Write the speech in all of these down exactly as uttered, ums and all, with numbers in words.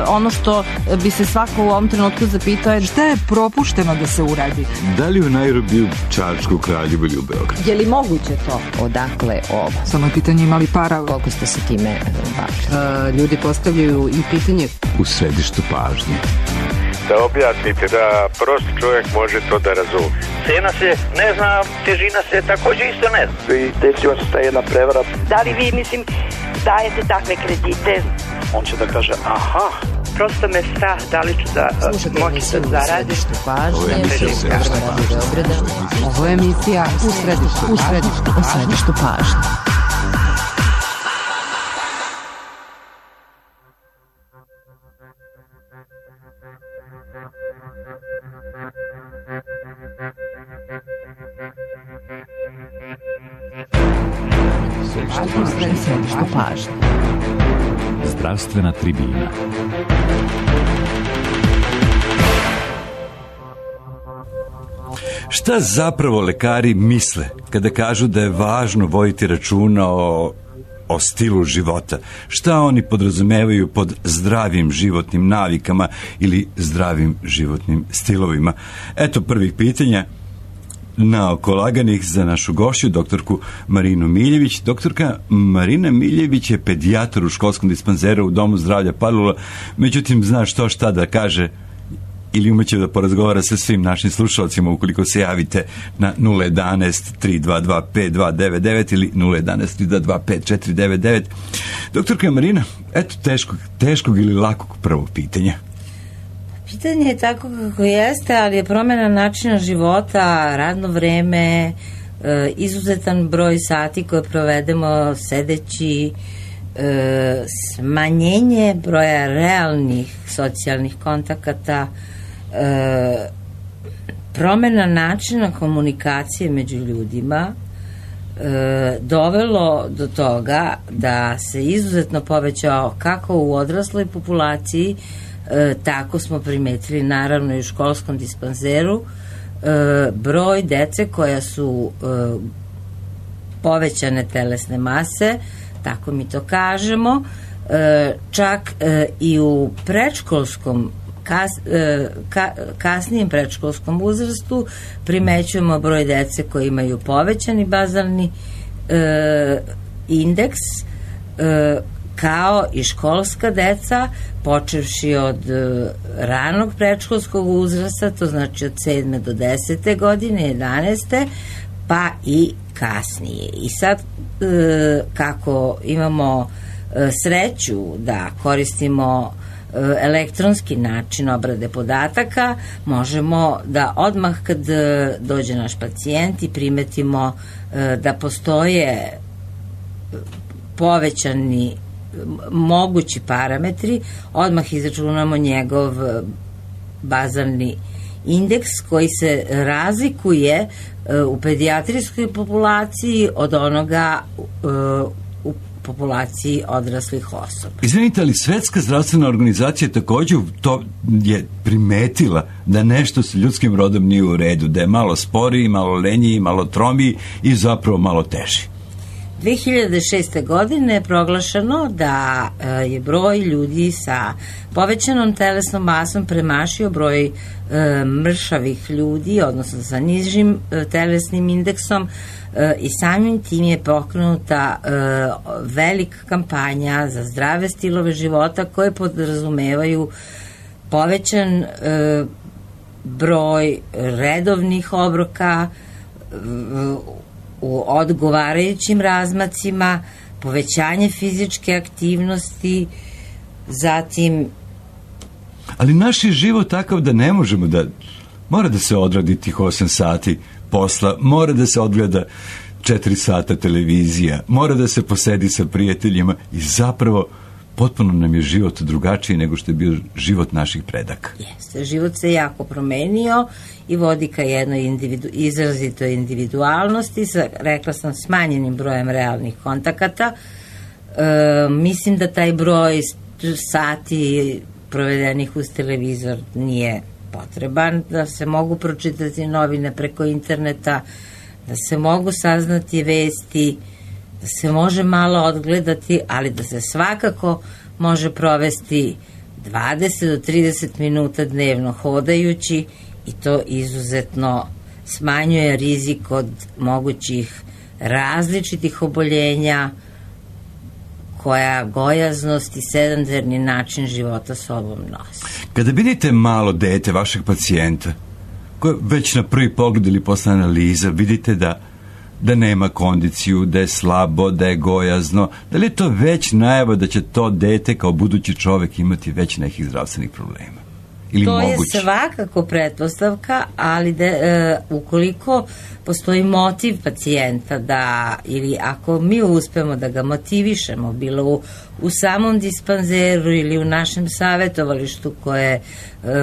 ono što bi se svako u ovom trenutku zapitao je šta je propušteno da se uradi? Da li u Nairobi, u Čačku, Kraljevu ili u Beogradu? Je li moguće to? Odakle ovo? Samo je pitanje imali para. Koliko ste se time bavili? Ljudi postavljaju i pitanje u središtu pažnje. Da objasnite da prost čovjek može to da razumije. Cena se ne zna, težina se također isto ne zna. I desila se ta jedna prevara. Da li vi, mislim, dajete takve kredite? On će da kaže, aha. Prosto me strah, da li ću da moći da zaradim. Ovo je emisija Ovo je emisija u središtu, u središtu, u središtu pažnje. Središtu pažnje. Zdravstvena tribina. Šta zapravo lekari misle kada kažu da je važno voditi računa o, o stilu života? Šta oni podrazumevaju pod zdravim životnim navikama ili zdravim životnim stilovima? Eto prvih pitanja. Naoko laganih za našu gošću, doktorku Marinu Miljević. Doktorka Marina Miljević je pedijatar u školskom dispanzeru u Domu zdravlja Palilula, međutim zna što šta da kaže ili umeće da porazgovara sa svim našim slušalcima ukoliko se javite na nula jedanaest tri dva dva pet dva devet devet ili nula jedanaest tri dva dva pet četiri devet devet. Doktorka Marina, eto teškog, teškog ili lakog prvog pitanja. Pitanje je tako kako jeste, ali je promjena načina života, radno vreme, izuzetan broj sati koje provedemo sedeći, smanjenje broja realnih socijalnih kontakata, promjena načina komunikacije među ljudima dovelo do toga da se izuzetno povećao kako u odrasloj populaciji, E, tako smo primetili naravno i u školskom dispanzeru e, broj dece koja su e, povećane telesne mase, tako mi to kažemo, e, čak e, i u predškolskom kas, e, ka, kasnijem predškolskom uzrastu primećujemo broj dece koji imaju povećani bazalni e, indeks, e, kao i školska deca, počevši od uh, ranog predškolskog uzrasta, to znači od sedme do desete godine, jedanaeste, pa i kasnije. I sad, uh, kako imamo uh, sreću da koristimo uh, elektronski način obrade podataka, možemo da odmah kad uh, dođe naš pacijent i primetimo uh, da postoje povećani mogući parametri, odmah izračunamo njegov bazalni indeks koji se razlikuje u pedijatrijskoj populaciji od onoga u populaciji odraslih osoba. Izvinite, ali Svetska zdravstvena organizacija također to je primetila da nešto s ljudskim rodom nije u redu, da je malo sporiji, malo lenjiji, malo tromiji i zapravo malo teži. dve hiljade šeste. godine je proglašeno da je broj ljudi sa povećanom telesnom masom premašio broj e, mršavih ljudi, odnosno sa nižim e, telesnim indeksom e, i samim tim je pokrenuta e, velika kampanja za zdrave stilove života koje podrazumevaju povećan e, broj redovnih obroka e, u odgovarajućim razmacima, povećanje fizičke aktivnosti, zatim... Ali naš je život takav da ne možemo da... Mora da se odradi tih osam sati posla, mora da se odgleda četiri sata televizija, mora da se posedi sa prijateljima i zapravo potpuno nam je život drugačiji nego što je bio život naših predaka. Jeste, život se jako promenio i vodi ka jednoj individu, izrazitoj individualnosti, sa, rekla sam, smanjenim brojem realnih kontakata. E, mislim da taj broj sati provedenih uz televizor nije potreban, da se mogu pročitati novine preko interneta, da se mogu saznati vesti, da se može malo odgledati, ali da se svakako može provesti dvadeset do trideset minuta dnevno hodajući, i to izuzetno smanjuje rizik od mogućih različitih oboljenja koja gojaznost i sedentarni način života sobom nosi. Kada vidite malo dete vašeg pacijenta, koje već na prvi pogled ili posle analiza vidite da, da nema kondiciju, da je slabo, da je gojazno, da li je to već najava da će to dete kao budući čovek imati već nekih zdravstvenih problema? Ili to moguće? Je svakako pretpostavka, ali da, e, ukoliko postoji motiv pacijenta da, ili ako mi uspemo da ga motivišemo, bilo u, u samom dispanzeru ili u našem savjetovalištu koje e,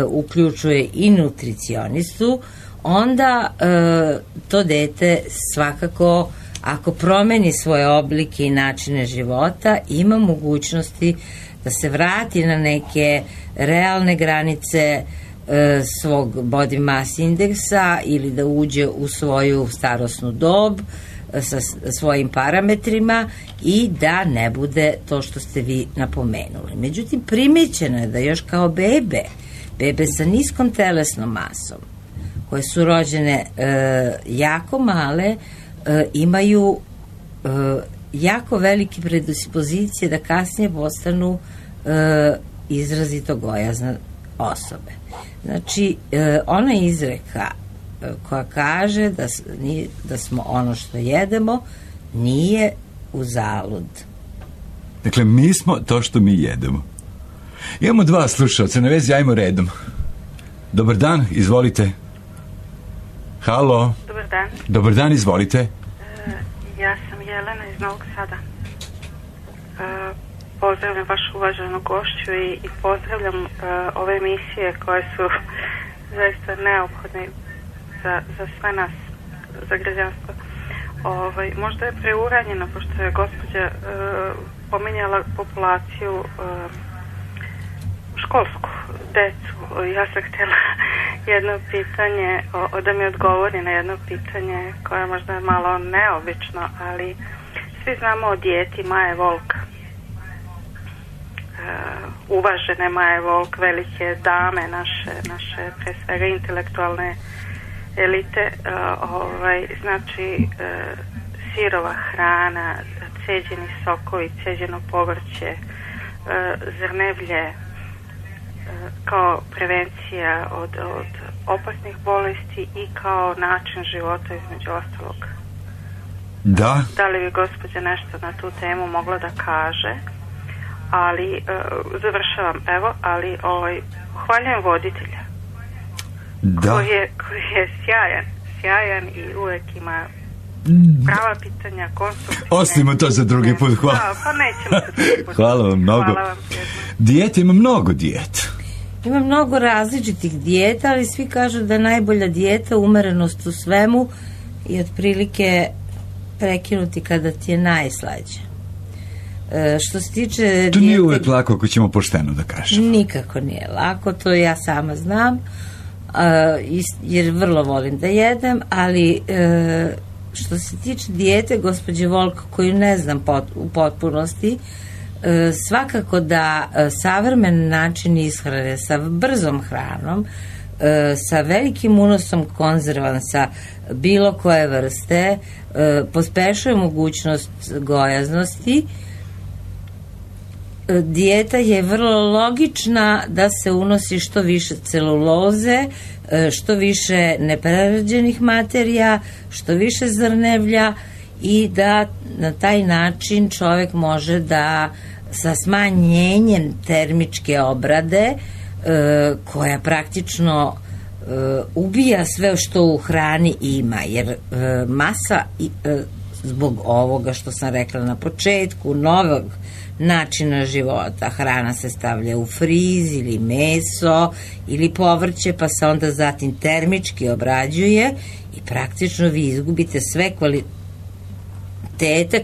uključuje i nutricionistu, onda e, to dete svakako, ako promeni svoje oblike i načine života, ima mogućnosti da se vrati na neke realne granice e, svog body mass indeksa ili da uđe u svoju starosnu dob e, sa svojim parametrima i da ne bude to što ste vi napomenuli. Međutim, primećeno je da još kao bebe, bebe sa niskom telesnom masom, koje su rođene e, jako male, e, imaju e, jako velike predispozicije da kasnije postanu e, izrazito gojazne osobe. Znači, e, ona izreka e, koja kaže da, da smo ono što jedemo nije uzalud. Dakle, mi smo to što mi jedemo. Imamo dva slušalca, na vezi, ajmo redom. Dobar dan, izvolite. Halo. Dobar dan. Dobar dan, izvolite. E, ja sam Jelena iz Novog Sada. E, pozdravljam vašu uvaženu gošću i, i pozdravljam e, ove emisije koje su zaista neophodne za, za sve nas, za građanstvo. Ovaj, možda je preuranjeno, pošto je gospođa e, pominjala populaciju e, školsku, decu. Ja sam htjela jedno pitanje, o, da mi odgovori na jedno pitanje koje je možda malo neobično, ali svi znamo o dijeti Maje Volk. E, uvažene Maje Volk, velike dame naše, naše pre svega intelektualne elite, e, ovaj, znači e, sirova hrana, ceđeni sokovi, ceđeno povrće, e, zrnevlje, kao prevencija od, od opasnih bolesti i kao način života između ostalog. Da. Da li bi gospođa nešto na tu temu mogla da kaže? Ali, uh, završavam, evo, ali ovaj, hvaljujem voditelja. Da. Koji je, koji je sjajan, sjajan i uvek ima prava pitanja, konstruktivne. Ostavimo to za drugi put, hvala. Da, pa nećemo za drugi put. Hvala vam mnogo. Hvala vam. Dijete, ima mnogo dijeta. Ima mnogo različitih dijeta, ali svi kažu da je najbolja dijeta umerenost u svemu i otprilike prekinuti kada ti je najslađe. E, što se tiče... To dijete, nije uvek lako ako ćemo pošteno da kažemo. Nikako nije lako, to ja sama znam, a, jer vrlo volim da jedem, ali e, što se tiče dijete gospođe Volk, koju ne znam pot, u potpunosti, E, svakako da e, savremen način ishrane sa brzom hranom, e, sa velikim unosom konzervansa bilo koje vrste, e, pospešuje mogućnost gojaznosti. E, dijeta je vrlo logična da se unosi što više celuloze, e, što više neprerađenih materija, što više zrnevlja i da na taj način čovjek može da sa smanjenjem termičke obrade e, koja praktično e, ubija sve što u hrani ima, jer e, masa e, zbog ovoga što sam rekla na početku, novog načina života, hrana se stavlja u friz ili meso ili povrće, pa se onda zatim termički obrađuje i praktično vi izgubite sve kvalitete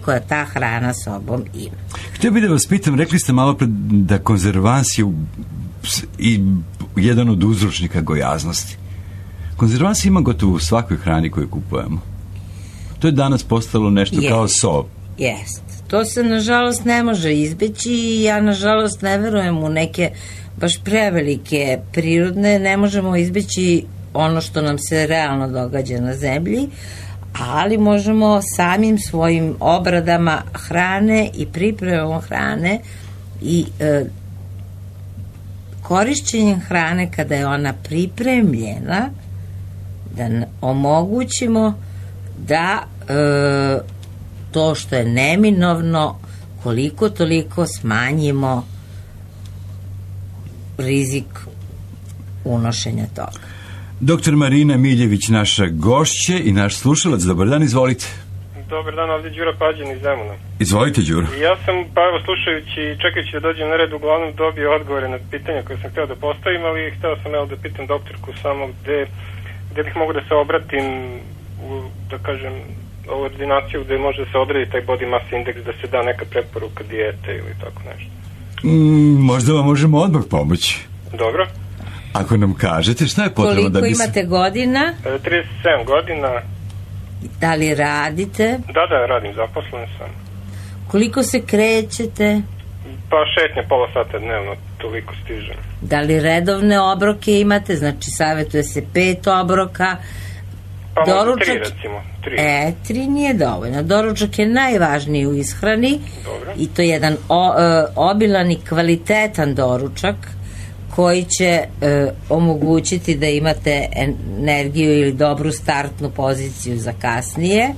koja ta hrana sobom ima. Htio bih da vas pitam, rekli ste malo pred da konzervans je i jedan od uzročnika gojaznosti. Konzervans ima gotovo u svakoj hrani koju kupujemo. To je danas postalo nešto jest, kao so. Jest. To se nažalost ne može izbeći i ja nažalost ne verujem u neke baš prevelike prirodne, ne možemo izbeći ono što nam se realno događa na zemlji, ali možemo samim svojim obradama hrane i pripremom hrane i e, korišćenjem hrane kada je ona pripremljena da omogućimo da e, to što je neminovno koliko toliko smanjimo rizik unošenja toga. Doktor Marina Miljević, naša gošća i naš slušalac. Dobar dan, izvolite. Dobar dan, ovdje Đura Pađen iz Zemuna. Izvolite, Đuro. Ja sam, pa evo, slušajući i čekajući da dođem na red, uglavnom dobio odgovore na pitanja koje sam htio da postavim, ali htio sam evo da pitam doktorku samo gde, gde bih mogu da se obratim u, da kažem, ovu ordinaciju gde može da se odredi taj body mass index, da se da neka preporuka dijete ili tako nešto. Mm, možda vam možemo odmah pomoći. Dobro. Ako nam kažete šta je potrebno koliko da bi... Koliko imate godina? E, trideset sedam godina. Da li radite? Da, da, radim, zaposlen sam. Koliko se krećete? Pa šetnje pola sata dnevno, toliko stižem. Da li redovne obroke imate? Znači, savjetuje se pet obroka. Pa doručak... možda tri, recimo. Tri. E, tri nije dovoljno. Doručak je najvažniji u ishrani. Dobro. I to je jedan o, e, obilan i kvalitetan doručak koji će e, omogućiti da imate energiju ili dobru startnu poziciju za kasnije.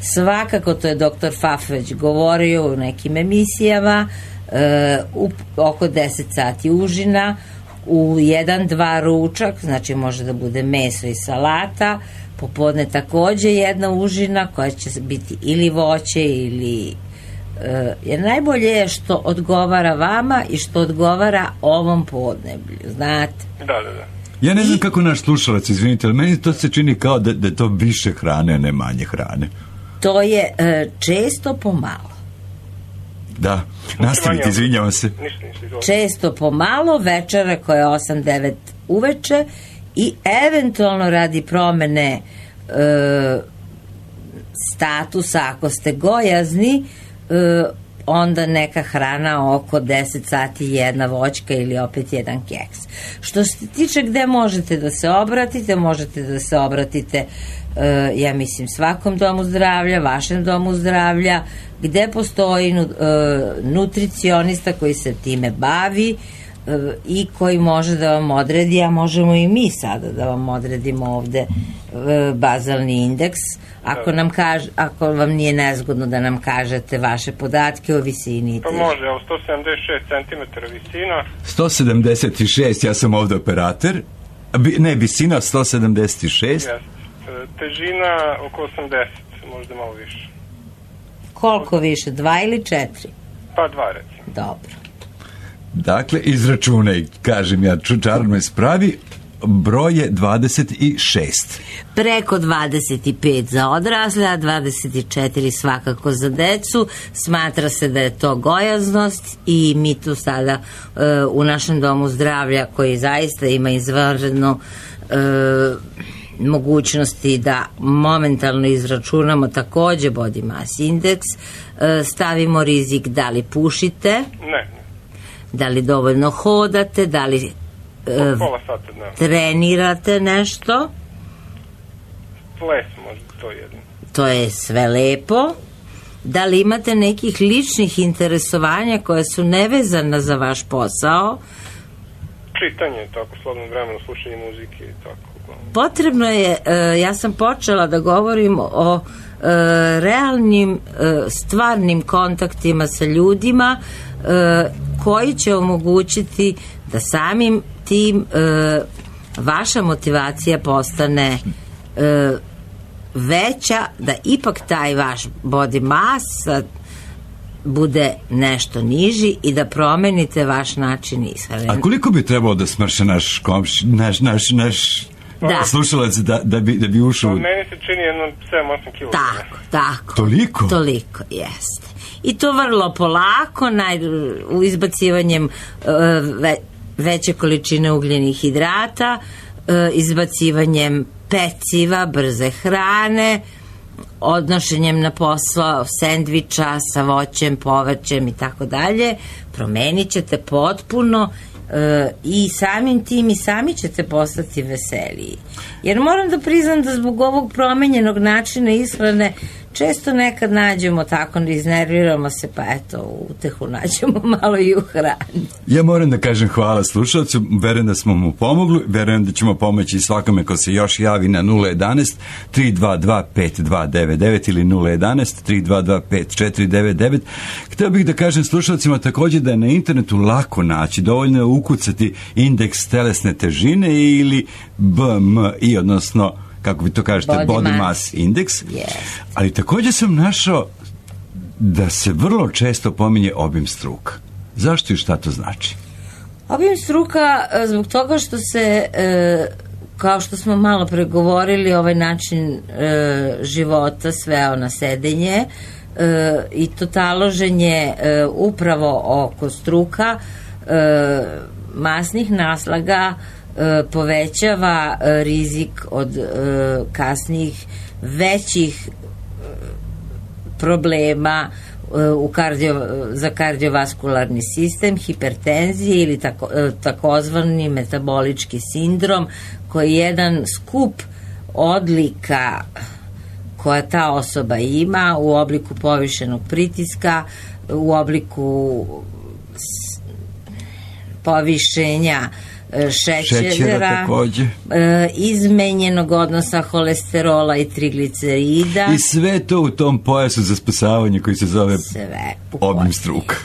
Svakako, to je doktor Faf već govorio u nekim emisijama, e, u, oko deset sati užina, u jedan, dva ručak, znači može da bude meso i salata, popodne takođe jedna užina koja će biti ili voće ili jer najbolje je što odgovara vama i što odgovara ovom podneblju, znate. Da, da, da. Ja ne znam I... kako naš slušalac, izvinite, ali meni to se čini kao da, da je to više hrane, a ne manje hrane. To je e, često pomalo. Da, nastavite, izvinjavam se. Ništa, ništa, često pomalo, večera koja je osam devet uveče i eventualno radi promene e, statusa, ako ste gojazni, Uh, onda neka hrana oko deset sati, jedna voćka ili opet jedan keks. Što se tiče gde možete da se obratite, možete da se obratite uh, ja mislim svakom domu zdravlja, vašem domu zdravlja, gde postoji uh, nutricionista koji se time bavi uh, i koji može da vam odredi, a možemo i mi sada da vam odredimo ovde uh, bazalni indeks. Ako, nam kaž, ako vam nije nezgodno da nam kažete vaše podatke o visini. Pa može, evo sto sedamdeset šest centimetara visina. sto sedamdeset šest, ja sam ovde operator. Ne, visina sto sedamdeset šest. Yes. Težina oko osamdeset, možda malo više. Koliko više, dva ili četiri? Pa dva, recimo. Dobro. Dakle, izračunaj, kažem ja, čučar me spravi, broj je dvadeset šest. Preko dvadeset pet za odrasle, a dvadeset četiri svakako za decu. Smatra se da je to gojaznost i mi tu sada uh, u našem domu zdravlja, koji zaista ima izvanredno uh, mogućnosti da momentalno izračunamo takođe body mass index, uh, stavimo rizik da li pušite, ne, da li dovoljno hodate, da li Uh, pola sata dnevno trenirate nešto. Ples možda, to je jedno. To je sve lepo. Da li imate nekih ličnih interesovanja koje su nevezana za vaš posao? Čitanje, tako, slobodno vremeno, slušanje muzike i tako. Potrebno je, uh, ja sam počela da govorim o uh, realnim, uh, stvarnim kontaktima sa ljudima uh, koji će omogućiti da samim tim e, vaša motivacija postane e, veća, da ipak taj vaš body mass bude nešto niži i da promenite vaš način ishrane. A koliko bi trebalo da smrše naš komš, naš, naš, naš da. slušalac da, da, bi, da bi ušao? Pa meni se čini jedno sedam osam kilograma. Tako, tako. Toliko? Toliko, jeste. I to vrlo polako, naj, u izbacivanjem uh, ve, veće količine ugljenih hidrata, uh, izbacivanjem peciva, brze hrane, odnošenjem na posao sendviča sa voćem, povrćem i tako dalje, promenit ćete potpuno e, i samim tim i sami ćete postati veseliji. Jer moram da priznam da zbog ovog promenjenog načina ishrane često nekad nađemo tako, ne iznerviramo se, pa eto, utehu nađemo malo i u hrani. Ja moram da kažem hvala slušalcu, verujem da smo mu pomogli, verujem da ćemo pomoći svakome ko se još javi na nula jedanaest tri dva dva pet dva devet devet ili nula jedanaest tri dva dva pet četiri devet devet. Hteo bih da kažem slušalcima također da je na internetu lako naći, dovoljno je ukucati indeks telesne težine ili B M I, odnosno kako vi to kažete, body, body mass index, yes. Ali također sam našao da se vrlo često pominje obim struka. Zašto i šta to znači? Obim struka zbog toga što se, e, kao što smo malo pregovorili, ovaj način e, života sveo na sedenje e, i to taloženje e, upravo oko struka, e, masnih naslaga, povećava rizik od kasnijih većih problema u kardio, za kardiovaskularni sistem, hipertenzije ili tako, takozvani metabolički sindrom, koji je jedan skup odlika koja ta osoba ima u obliku povišenog pritiska, u obliku povišenja šećera, šećera e, izmenjenog odnosa holesterola i triglicerida. I sve to u tom pojasu za spasavanje koji se zove obim struka.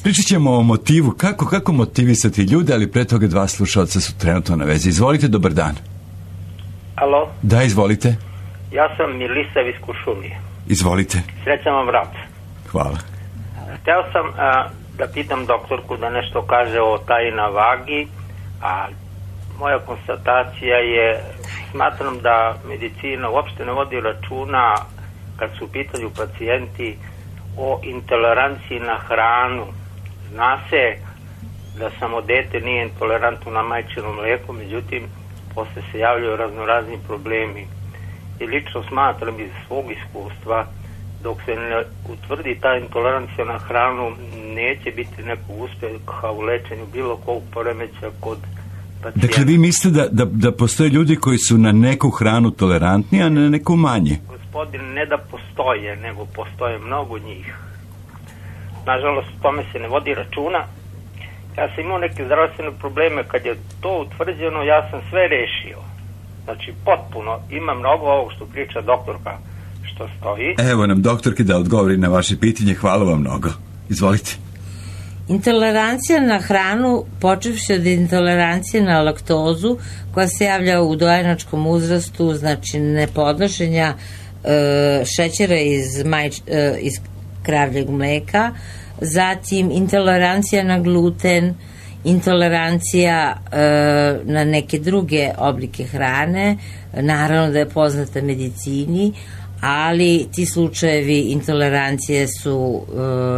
Pričat ćemo o motivu, kako, kako motivisati ljude, ali pre toga dva slušalca su trenutno na vezi. Izvolite, dobar dan. Alo? Da, izvolite. Ja sam Milisav iz Kuršumlije. Izvolite. Srećan vam rad. Hvala. Hteo sam a, da pitam doktorku da nešto kaže o taji na vagi, a moja konstatacija je, smatram da medicina uopšte ne vodi računa kad su u pitanju pacijenti o intoleranciji na hranu. Zna se da samo dete nije intolerantno na majčino mlijeko, međutim posle se javljaju raznorazni problemi. I lično smatram iz svog iskustva, dok se ne utvrdi ta intolerancija na hranu, neće biti nekog uspeha u lečenju bilo kog poremeća kod pacijenta. Dakle, vi mislite da, da, da postoje ljudi koji su na neku hranu tolerantni, a na neku manje? Gospodin, ne da postoje, nego postoje mnogo njih. Nažalost, tome se ne vodi računa. Ja sam imao neke zdravstvene probleme, kad je to utvrđeno, ja sam sve rešio. Znači, potpuno, ima mnogo ovog što priča doktorka, što stoji. Evo nam doktorki da odgovori na vaše pitanje, hvala vam mnogo. Izvolite. Intolerancija na hranu, počevši od intolerancije na laktozu, koja se javlja u dojenačkom uzrastu, znači nepodnošenja e, šećera iz, majč, e, iz kravljeg mleka, zatim intolerancija na gluten, intolerancija e, na neke druge oblike hrane, naravno da je poznata medicini, ali ti slučajevi intolerancije su e,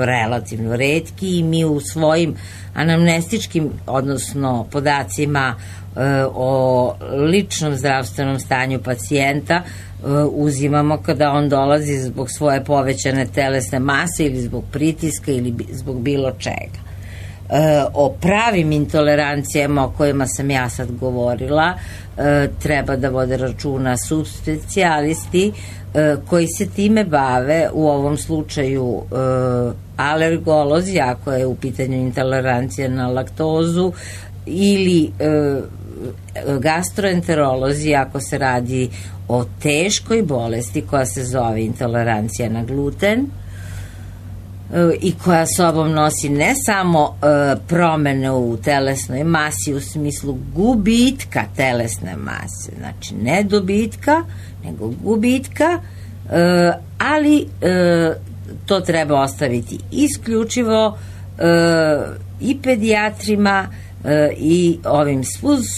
relativno retki i mi u svojim anamnestičkim, odnosno podacima e, o ličnom zdravstvenom stanju pacijenta e, uzimamo kada on dolazi zbog svoje povećane telesne mase ili zbog pritiska ili zbog bilo čega. E, o pravim intolerancijama o kojima sam ja sad govorila e, treba da vode računa subspecijalisti e, koji se time bave, u ovom slučaju e, alergolozi ako je u pitanju intolerancija na laktozu, ili e, gastroenterolozi ako se radi o teškoj bolesti koja se zove intolerancija na gluten i koja sobom nosi ne samo e, promene u telesnoj masi u smislu gubitka telesne mase, znači ne dobitka, nego gubitka, e, ali e, to treba ostaviti isključivo e, i pedijatrima e, i ovim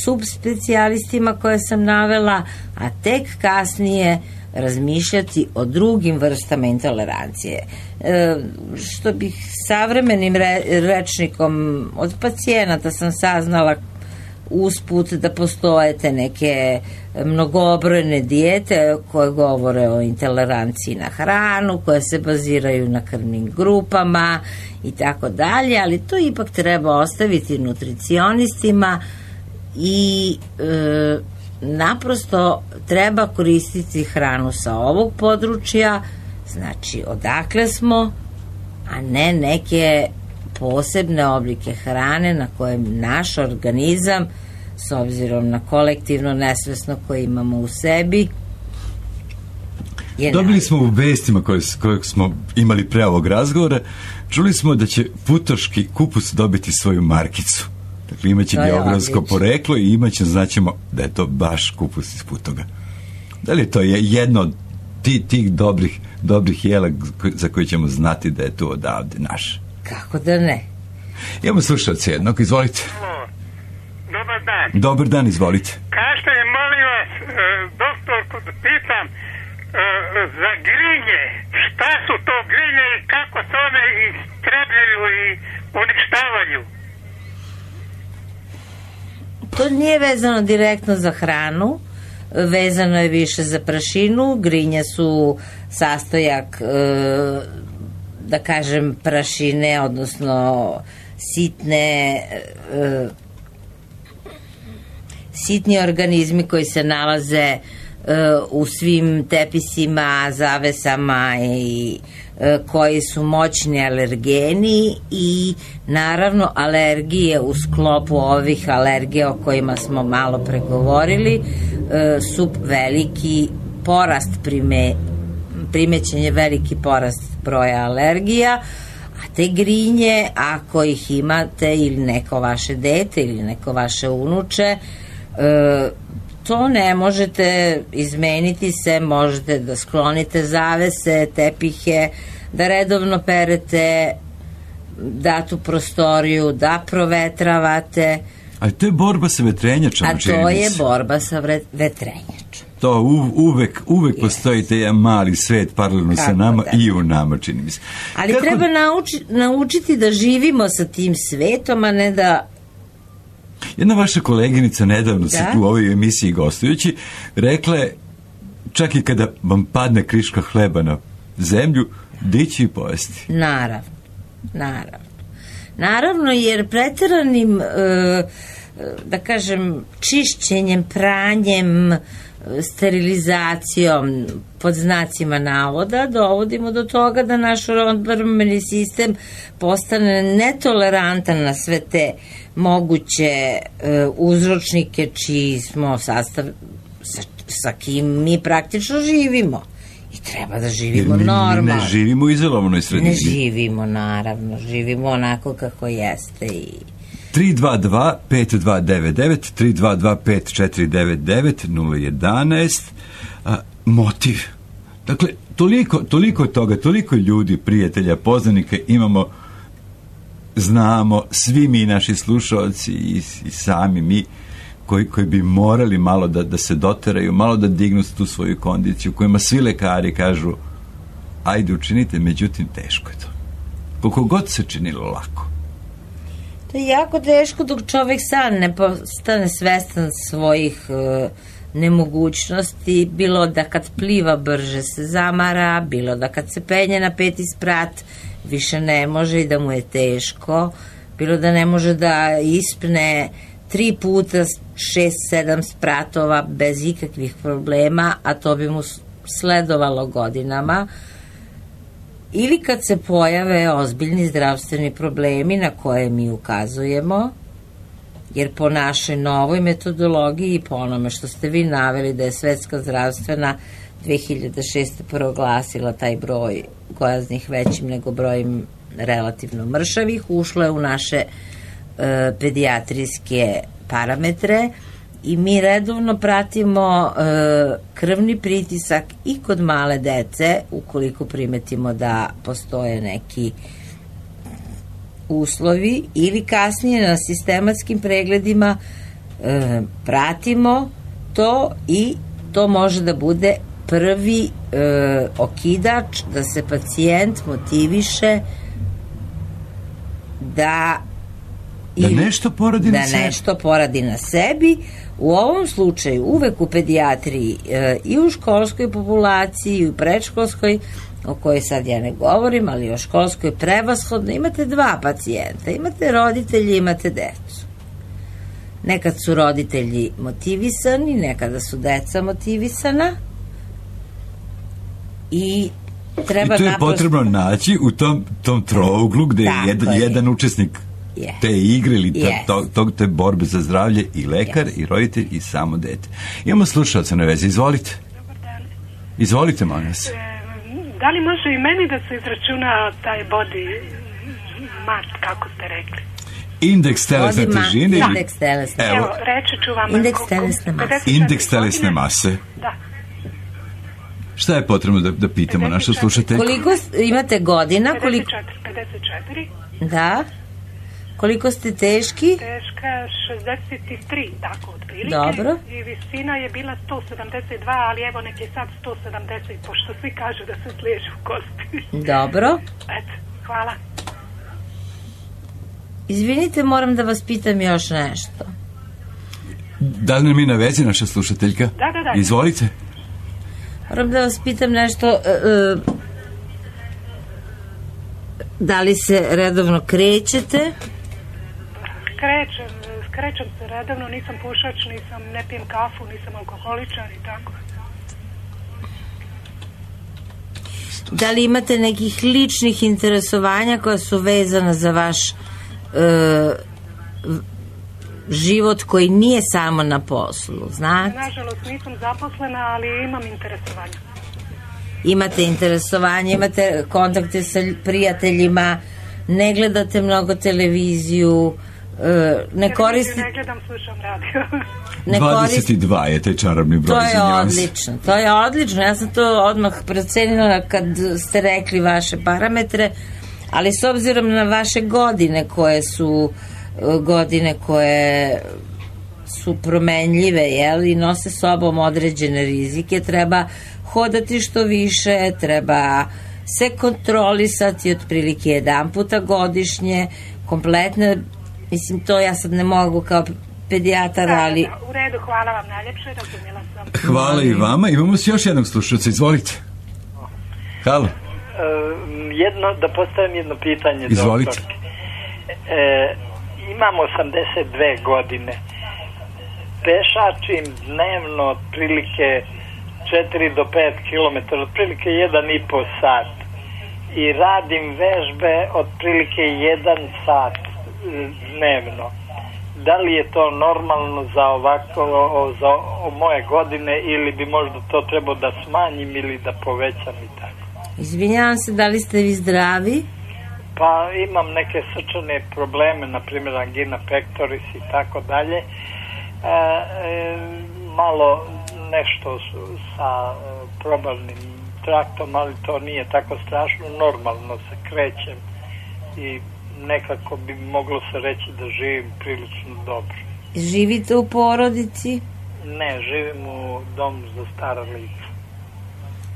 subspecijalistima koje sam navela, a tek kasnije razmišljati o drugim vrstama intolerancije. E, što bih savremenim re, rečnikom od pacijenata sam saznala usput da postoje te neke mnogobrojne dijete koje govore o intoleranciji na hranu, koje se baziraju na krvnim grupama i tako dalje, ali to ipak treba ostaviti nutricionistima i e, naprosto treba koristiti hranu sa ovog područja, znači odakle smo, a ne neke posebne oblike hrane na koje naš organizam, s obzirom na kolektivno nesvesno koje imamo u sebi, je dobili navikli. smo u vestima koje, koje smo imali pre ovog razgovora, čuli smo da će putoški kupus dobiti svoju markicu. Dakle, imaće geografsko poreklo i imaće, znaćemo da je to baš kupus iz Putoga. Da li je to jedno od tih, tih dobrih, dobrih jela za koje ćemo znati da je to odavde naš? Kako da ne? Imamo slušalce jednog, izvolite. Dobar dan. Dobar dan, izvolite. Kažete, molim vas, doktorku, da pitam za grinje. Šta su to grinje i kako se one istrebljuju i uništavaju? To nije vezano direktno za hranu, vezano je više za prašinu. Grinje su sastojak, da kažem, prašine, odnosno sitne sitni organizmi koji se nalaze u svim tepisima, zavesama i koji su moćni alergeni i naravno alergije u sklopu ovih alergija o kojima smo malo pregovorili su veliki porast prime, primećen je veliki porast broja alergija, a te grinje, ako ih imate ili neko vaše dete ili neko vaše unuče, to ne možete izmeniti se, možete da sklonite zavese, tepihe, da redovno perete datu prostoriju, da provetravate. Ali to je borba sa vetrenjačom. A to je borba sa vetrenjačom. To u, uvek, uvek yes. postoji te jedan mali svet paralelno sa nama da. I u nama, čini mi se. Ali Kako... treba nauči, naučiti da živimo sa tim svetom, a ne da... Jedna vaša koleginica nedavno se tu u ovoj emisiji gostujući rekla je, čak i kada vam padne kriška hleba na zemlju, dići i pojesti. Naravno, naravno. Naravno, jer pretjeranim, da kažem, čišćenjem, pranjem, sterilizacijom, pod znacima navoda, dovodimo do toga da naš odbrambeni sistem postane netolerantan na sve te moguće uzročnike čiji smo sastav, sa, sa kim mi praktično živimo. I treba da živimo mi, normalno. Mi ne živimo u izolovanoj sredini. Ne živimo, naravno. Živimo onako kako jeste i... tri dva dva pet dva devet devet, tri dva dva pet četiri devet devet, nula jedanaest. A, motiv. Dakle, toliko, toliko toga, toliko ljudi, prijatelja, poznanika imamo, znamo, svi mi naši slušalci i, i sami mi, koji, koji bi morali malo da, da se doteraju, malo da dignu tu svoju kondiciju, kojima svi lekari kažu ajde učinite, međutim teško je to. Koliko god se činilo lako. To je jako teško dok čovjek sam ne postane svestan svojih e, nemogućnosti, bilo da kad pliva brže se zamara, bilo da kad se penje na peti sprat više ne može i da mu je teško, bilo da ne može da ispne tri puta šest, sedam spratova bez ikakvih problema, a to bi mu sledovalo godinama. Ili kad se pojave ozbiljni zdravstveni problemi na koje mi ukazujemo, jer po našoj novoj metodologiji i po onome što ste vi naveli da je Svetska zdravstvena dve hiljade šeste. proglasila taj broj gojaznih većim nego brojem relativno mršavih, ušlo je u naše e, pedijatrijske parametre i mi redovno pratimo e, krvni pritisak i kod male dece, ukoliko primetimo da postoje neki uslovi, ili kasnije na sistematskim pregledima e, pratimo to i to može da bude prvi e, okidač da se pacijent motiviše da Da nešto poradi da na sebi. Da nešto poradi na sebi. U ovom slučaju uvek u pedijatriji e, i u školskoj populaciji i u predškolskoj, o kojoj sad ja ne govorim, ali o školskoj prevashodno imate dva pacijenta. Imate roditelji, imate decu. Nekad su roditelji motivisani, nekada su deca motivisana i treba I to je naprosto... potrebno naći u tom, tom trouglu gde je jedan, je. jedan učesnik yeah. te igre ili ta, yes. to, to, te borbe za zdravlje i lekar yes. i roditelj i samo dete. Imamo slušalca na vezi, izvolite. Dobar dan. Izvolite, molim vas. E, da li može i meni da se izračuna taj body mass, kako ste rekli? Indeks telesne težine. Indeks telesne. Evo, Evo reći ću vam. Indeks telesne mase. Indeks telesne mase. Da. Šta je potrebno da, da pitamo našu slušateljku? Koliko imate godina? pedeset četiri. pedeset četiri. Da. Koliko ste teški? Teška šezdeset tri, tako otprilike. Dobro. I visina je bila sto sedamdeset dva, ali evo nek je sad sto sedamdeset, pošto svi kažu da se sliježu kosti. Dobro. Eto, hvala. Izvinite, moram da vas pitam još nešto. Da li nam je na vezi naša slušateljka? Da, da, da. Izvolite. Moram da vas pitam nešto, uh, da li se redovno krećete? Krećem, krećem se redovno, nisam pušač, nisam, ne pijem kafu, nisam alkoholičar i tako. Da li imate nekih ličnih interesovanja koja su vezana za vaš uh, život koji nije samo na poslu, znate? Nažalost nisam zaposlena, ali imam interesovanje. Imate interesovanje, imate kontakte sa prijateljima, ne gledate mnogo televiziju, ne koristite... Ne gledam, slušam radio. Ne dvadeset dva je taj čarobni broj. To je odlično, to je odlično. Ja sam to odmah procenila kad ste rekli vaše parametre, ali s obzirom na vaše godine koje su godine koje su promenljive, jel, i nose sobom određene rizike, treba hodati što više, treba se kontrolisati otprilike jedan puta godišnje, kompletne, mislim, to ja sad ne mogu kao pedijatar, ali... Da, da, u redu, hvala vam najljepše, razumjela sam. Hvala i vama, imamo si još jednog slušalca, izvolite. Halo. Uh, jedno, da postavim jedno pitanje. Izvolite. Doktorke. E, imam osamdeset dve godine. Pešačim dnevno otprilike četiri do pet kilometara, otprilike jedan i po sat. I radim vežbe otprilike jedan sat dnevno. Da li je to normalno za ovako, za moje godine, ili bi možda to trebao da smanjim ili da povećam i tako? Izvinjavam se, da li ste vi zdravi? Pa imam neke srčane probleme, na primjer angina pectoris i tako dalje. E, e, malo nešto sa probavnim traktom, ali to nije tako strašno, normalno se krećem i nekako bi moglo se reći da živim prilično dobro. Živite u porodici? Ne, živim u domu za stara lica.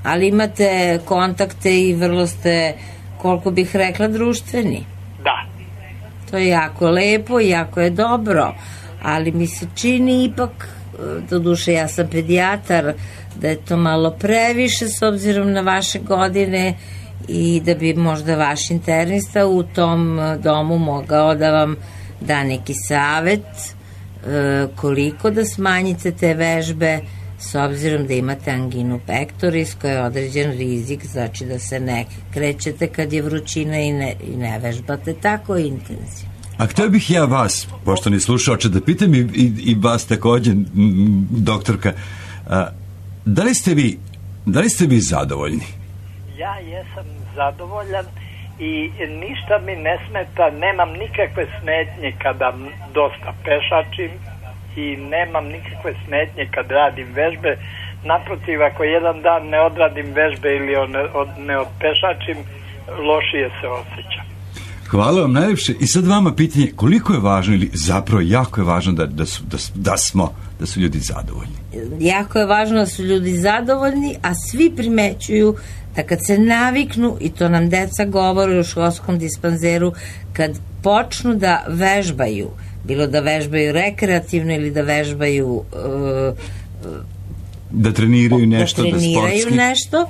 Ali imate kontakte i vrlo ste, koliko bih rekla, društveni? Da. To je jako lepo i jako je dobro, ali mi se čini ipak, doduše ja sam pedijatar, da je to malo previše s obzirom na vaše godine i da bi možda vaš internista u tom domu mogao da vam da neki savet e, koliko da smanjite te vežbe s obzirom da imate anginu pectoris koja je određen rizik, znači da se ne krećete kad je vrućina i ne, i ne vežbate tako intenzivno. A htio bih ja vas, poštovani slušaoče, da pitam i, i, i vas također, doktorka, a, da li ste vi da li ste vi zadovoljni? Ja jesam zadovoljan i ništa mi ne smeta, nemam nikakve smetnje kada dosta pešačim i nemam nikakve smetnje kad radim vežbe. Naprotiv, ako jedan dan ne odradim vežbe ili ne, od, ne odpešačim, lošije se osjećam. Hvala vam najljepše. I sad vama pitanje, koliko je važno ili zapravo jako je važno da, da, su, da, da smo, da su ljudi zadovoljni? Jako je važno da su ljudi zadovoljni, a svi primećuju da kad se naviknu, i to nam deca govore u školskom dispanzeru, kad počnu da vežbaju, bilo da vežbaju rekreativno ili da vežbaju uh, da treniraju nešto, da, treniraju da sportski nešto,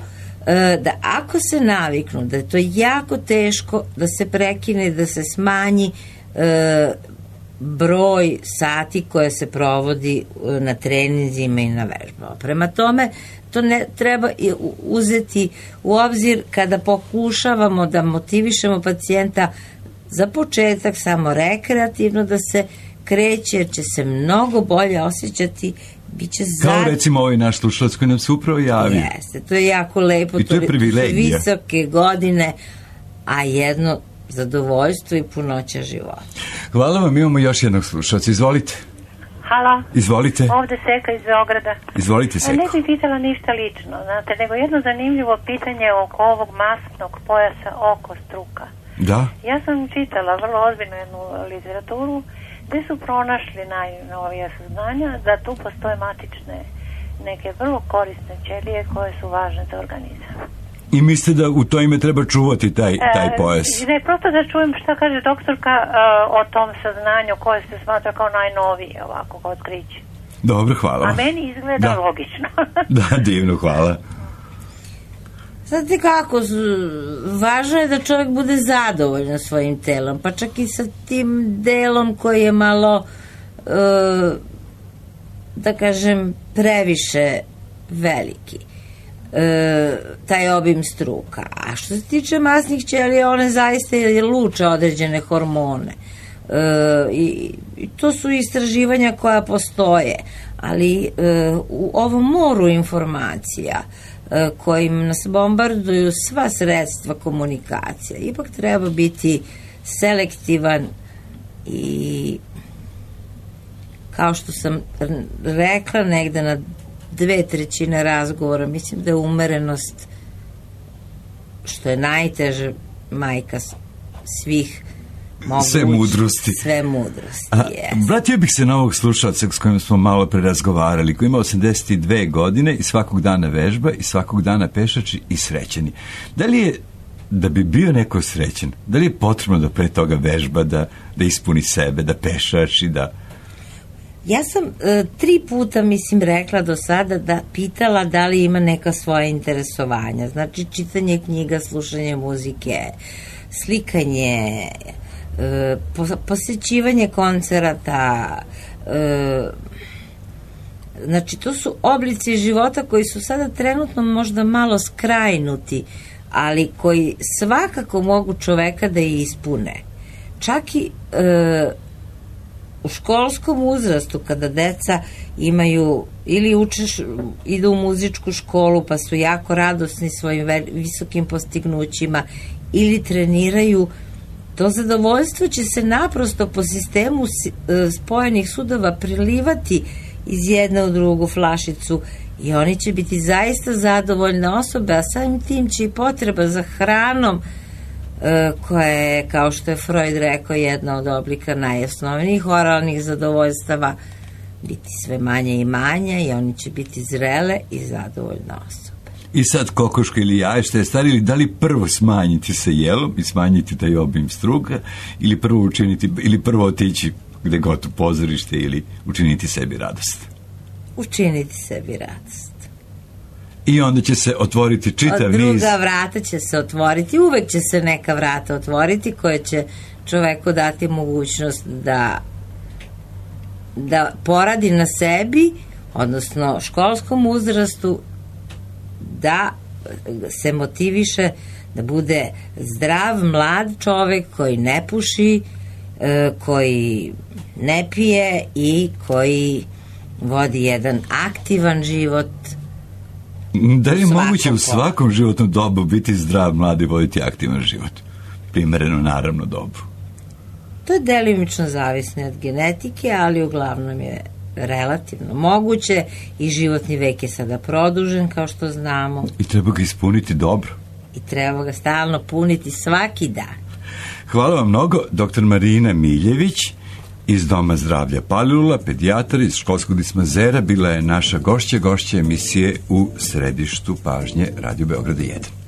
da ako se naviknu da je to jako teško da se prekine, da se smanji e, broj sati koje se provodi na treninzima i na vežbama. Prema tome, to ne treba uzeti u obzir kada pokušavamo da motivišemo pacijenta za početak samo rekreativno da se kreće, jer će se mnogo bolje osjećati. Biće kao zad... recimo ovaj naš slušalac koji nam se upravo javio. Jeste, to je jako lepo. I to je privilegija. Visoke godine, a jedno zadovoljstvo i punoća života. Hvala vam, imamo još jednog slušalca. Izvolite. Halo. Izvolite. Ovde Seka iz Beograda. Izvolite, Seko. Ne bih pitala ništa lično, znate, nego jedno zanimljivo pitanje oko ovog masknog pojasa oko struka. Da. Ja sam čitala vrlo ozbiljnu jednu literaturu gde su pronašli najnovija saznanja da tu postoje matične neke vrlo korisne ćelije koje su važne za organizam. I mislite da u to ime treba čuvati taj, taj pojas? E, ne, prosto da čujem šta kaže doktorka uh, o tom saznanju koje se smatra kao najnovije ovako otkriće. Dobro, hvala. A meni izgleda da. logično. Da, divno, hvala. Znate kako, važno je da čovjek bude zadovoljan svojim telom, pa čak i sa tim delom koji je malo, e, da kažem, previše veliki. E, taj obim struka. A što se tiče masnih ćelija, one zaista luče određene hormone. E, i, i to su istraživanja koja postoje, ali e, u ovom moru informacija kojim nas bombarduju sva sredstva komunikacija, ipak treba biti selektivan i, kao što sam rekla negde na dve trećine razgovora, mislim da je umerenost, što je najteže, majka svih moguć, sve mudrosti. Sve mudrosti, A, yes. Vratio bih se na ovog slušalca s kojim smo malo pre razgovarali, koji ima osamdeset dve godine i svakog dana vežba i svakog dana pešači i srećeni. Da li je, da bi bio neko srećen, da li je potrebno da pre toga vežba, da, da ispuni sebe, da pešači, da... Ja sam e, tri puta, mislim, rekla do sada da pitala da li ima neka svoja interesovanja. Znači, čitanje knjiga, slušanje muzike, slikanje, e, posjećivanje koncerata, e, znači, to su oblici života koji su sada trenutno možda malo skrajnuti, ali koji svakako mogu čoveka da i ispune. Čak i e, u školskom uzrastu, kada deca imaju ili učeš, idu u muzičku školu pa su jako radosni svojim visokim postignućima ili treniraju, to zadovoljstvo će se naprosto po sistemu spojenih sudova prilivati iz jedne u drugu flašicu i oni će biti zaista zadovoljne osobe, a samim tim će i potreba za hranom, koja je, kao što je Freud rekao, jedna od oblika najosnovnijih oralnih zadovoljstava, biti sve manje i manje i oni će biti zrele i zadovoljne osobe. I sad kokoška ili jaje, što je stari, da li prvo smanjiti sa jelom i smanjiti taj obim struka ili prvo učiniti, ili prvo otići gde god u pozorište ili učiniti sebi radost? Učiniti sebi radost. I onda će se otvoriti čitav niz... Druga vrata će se otvoriti, uvek će se neka vrata otvoriti koje će čoveku dati mogućnost da da poradi na sebi, odnosno školskom uzrastu, da se motiviše da bude zdrav, mlad čovek koji ne puši, koji ne pije i koji vodi jedan aktivan život. Da li je moguće u svakom životnom dobu biti zdrav, mlad i voditi aktivan život? Primereno, naravno, dobu. To je delimično zavisno od genetike, ali uglavnom je relativno moguće i životni vek je sada produžen, kao što znamo. I treba ga ispuniti dobro. I treba ga stalno puniti svaki dan. Hvala vam mnogo, doktor Marina Miljević iz Doma zdravlja Palilula, pedijatar iz školskog dispanzera, bila je naša gošća, gošća emisije u središtu pažnje Radio Beograda jedan.